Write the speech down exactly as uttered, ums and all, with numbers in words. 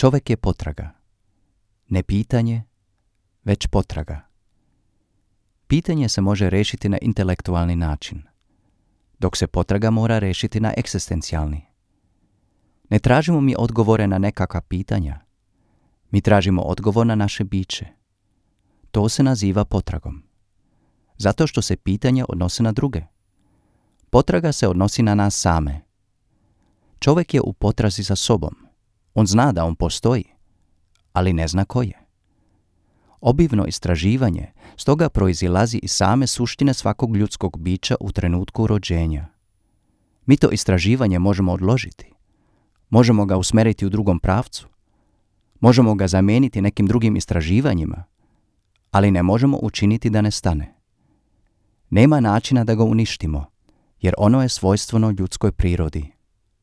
Čovjek je potraga. Ne pitanje, već potraga. Pitanje se može riješiti na intelektualni način, dok se potraga mora riješiti na egzistencijalni. Ne tražimo mi odgovore na nekakva pitanja. Mi tražimo odgovor na naše biće. To se naziva potragom. Zato što se pitanje odnose na druge. Potraga se odnosi na nas same. Čovjek je u potrazi za sobom. On zna da on postoji, ali ne zna ko je. Obimno istraživanje stoga proizilazi iz same suštine svakog ljudskog bića u trenutku rođenja. Mi to istraživanje možemo odložiti. Možemo ga usmjeriti u drugom pravcu. Možemo ga zamijeniti nekim drugim istraživanjima, ali ne možemo učiniti da ne stane. Nema načina da ga uništimo, jer ono je svojstveno ljudskoj prirodi.